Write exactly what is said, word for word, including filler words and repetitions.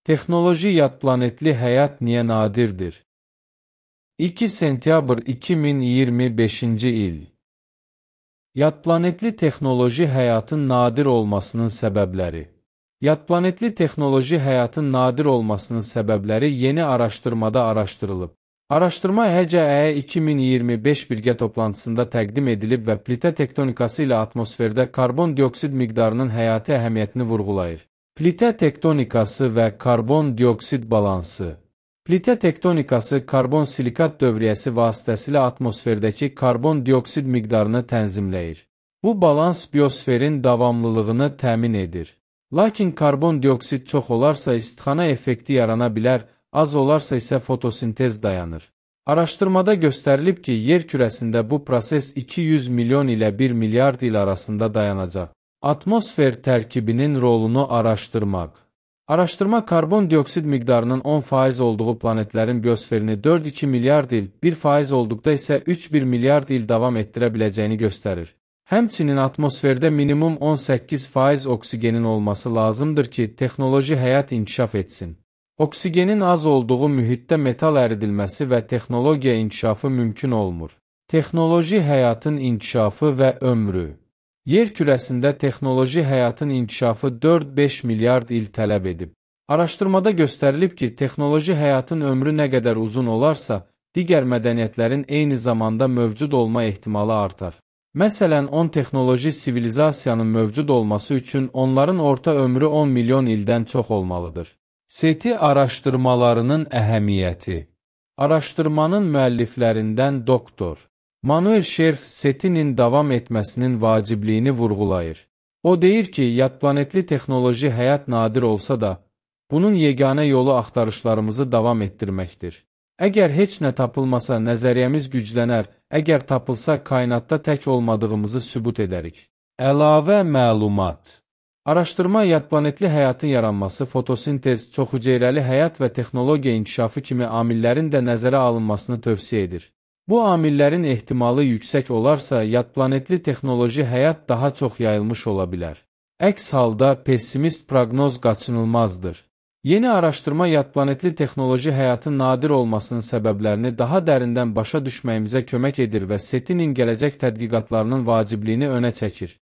Texnoloji yad planetli həyat niyə nadirdir? iki sentyabr iki min iyirmi beşinci il. Yad planetli texnoloji həyatın nadir olmasının səbəbləri. Yad planetli texnoloji həyatın nadir olmasının səbəbləri yeni araşdırmada araşdırılıb. Araşdırma H C E iki min iyirmi beş birgə toplantısında təqdim edilib və plitə tektonikası ilə atmosferdə karbon dioksid miqdarının həyati əhəmiyyətini vurğulayır. Plitə tektonikası və karbon dioksid balansı. Plitə tektonikası karbon-silikat dövriyyəsi vasitəsilə atmosferdəki karbon dioksid miqdarını tənzimləyir. Bu balans biosferin davamlılığını təmin edir. Lakin karbon dioksid çox olarsa istixana effekti yarana bilər, az olarsa isə fotosintez dayanır. Araşdırmada göstərilib ki, yer kürəsində bu proses iki yüz milyon ilə bir milyard il arasında dayanacaq. Atmosfer tərkibinin rolunu araşdırmaq. Araşdırma karbon dioksid miqdarının on faiz olduğu planetlərin biosferini dörd iki milyard il, bir faiz olduqda isə üç bir milyard il davam etdirə biləcəyini göstərir. Həmçinin atmosferdə minimum on səkkiz faiz oksigenin olması lazımdır ki, texnoloji həyat inkişaf etsin. Oksigenin az olduğu mühitdə metal əridilməsi və texnologiya inkişafı mümkün olmur. Texnoloji həyatın inkişafı və ömrü. Yer kürəsində texnoloji həyatın inkişafı dörd beş milyard il tələb edib. Araşdırmada göstərilib ki, texnoloji həyatın ömrü nə qədər uzun olarsa, digər mədəniyyətlərin eyni zamanda mövcud olma ehtimalı artar. Məsələn, on texnoloji sivilizasiyanın mövcud olması üçün onların orta ömrü on milyon ildən çox olmalıdır. SETI araşdırmalarının əhəmiyyəti. Araşdırmanın müəlliflərindən doktor Manuel Scherf SETI'nin davam etməsinin vacibliyini vurğulayır. O deyir ki, yad planetli texnoloji həyat nadir olsa da, bunun yeganə yolu axtarışlarımızı davam etdirməkdir. Əgər heç nə tapılmasa, nəzəriyyəmiz güclənər, əgər tapılsa, kainatda tək olmadığımızı sübut edərik. Əlavə məlumat. Araşdırma yad planetli həyatın yaranması, fotosintez, çoxhüceyrəli həyat və texnologiya inkişafı kimi amillərin də nəzərə alınmasını tövsiyə edir. Bu amillərin ehtimalı yüksək olarsa, yad planetli texnoloji həyat daha çox yayılmış ola bilər. Əks halda pessimist proqnoz qaçınılmazdır. Yeni araşdırma yad planetli texnoloji həyatın nadir olmasının səbəblərini daha dərindən başa düşməyimizə kömək edir və SETI'nin gələcək tədqiqatlarının vacibliyini önə çəkir.